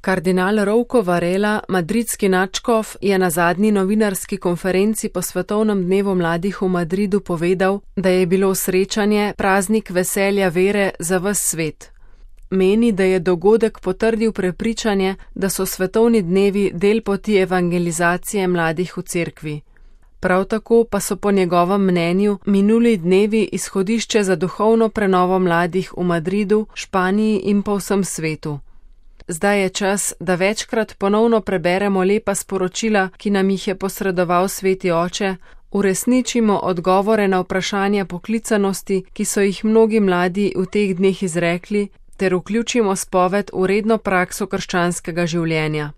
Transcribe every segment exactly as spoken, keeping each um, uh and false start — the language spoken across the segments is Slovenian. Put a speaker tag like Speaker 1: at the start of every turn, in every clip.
Speaker 1: Kardinal Rouco Varela, madridski nadškof, je na zadnji novinarski konferenci po Svetovnem dnevu mladih v Madridu povedal, da je bilo srečanje praznik veselja vere za ves svet. Meni, da je dogodek potrdil prepričanje, da so svetovni dnevi del poti evangelizacije mladih v cerkvi. Prav tako pa so po njegovem mnenju minuli dnevi izhodišče za duhovno prenovo mladih v Madridu, Španiji in po vsem svetu. Zdaj je čas, da večkrat ponovno preberemo lepa sporočila, ki nam jih je posredoval Sveti Oče, uresničimo odgovore na vprašanja poklicanosti, ki so jih mnogi mladi v teh dneh izrekli, ter vključimo spoved v redno prakso krščanskega življenja.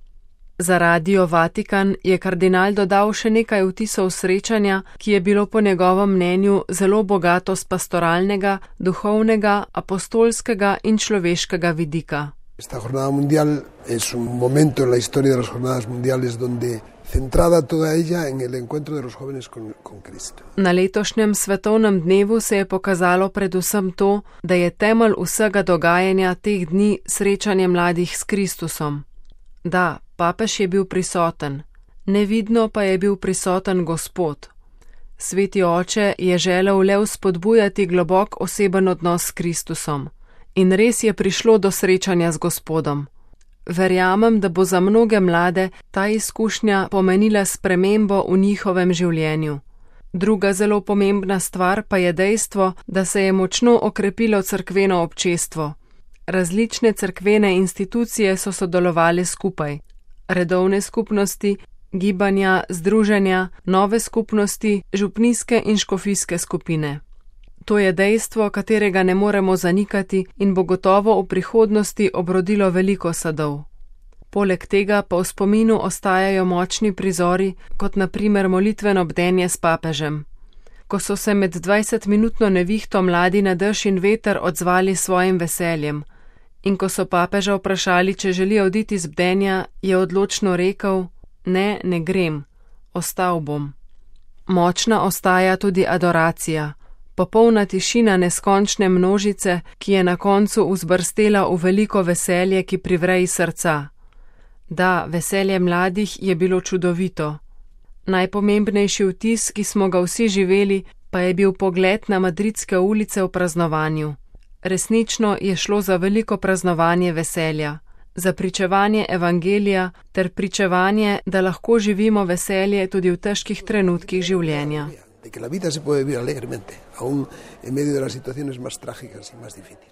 Speaker 1: Za Radio Vatikan je kardinal dodal še nekaj vtisov srečanja, ki je bilo po njegovem mnenju zelo bogato z pastoralnega, duhovnega, apostolskega in človeškega vidika.
Speaker 2: Esta jornada mundial es un momento en la historia de las jornadas mundiales donde centrada toda ella en el encuentro de los jóvenes con, con Cristo.
Speaker 1: Na letošnjem svetovnem dnevu se je pokazalo predvsem to, da je temelj vsega dogajanja teh dni srečanje mladih s Kristusom. Da, papež je bil prisoten, nevidno pa je bil prisoten Gospod. Sveti Oče je želel le vzpodbujati globok oseben odnos s Kristusom. In res je prišlo do srečanja z Gospodom. Verjamem, da bo za mnoge mlade ta izkušnja pomenila spremembo v njihovem življenju. Druga zelo pomembna stvar pa je dejstvo, da se je močno okrepilo cerkveno občestvo. Različne cerkvene institucije so sodelovali skupaj. Redovne skupnosti, gibanja, združenja, nove skupnosti, župnijske in škofijske skupine. To je dejstvo, katerega ne moremo zanikati in bo gotovo v prihodnosti obrodilo veliko sadov. Poleg tega pa v spominu ostajajo močni prizori, kot na primer molitveno bdenje s papežem. Ko so se med dvajsetminutno nevihto mladi na dež in veter odzvali svojim veseljem in ko so papeža vprašali, če želi oditi z bdenja, je odločno rekel: ne, ne grem, ostal bom. Močna ostaja tudi adoracija. Popolna tišina neskončne množice, ki je na koncu vzbrstela v veliko veselje, ki privreji srca. Da, veselje mladih je bilo čudovito. Najpomembnejši vtis, ki smo ga vsi živeli, pa je bil pogled na madridske ulice v praznovanju. Resnično je šlo za veliko praznovanje veselja, za pričevanje evangelija ter pričevanje, da lahko živimo veselje tudi v težkih trenutkih življenja.
Speaker 2: De que la vida se puede vivir alegremente, aún en medio de las situaciones más trágicas y más difíciles.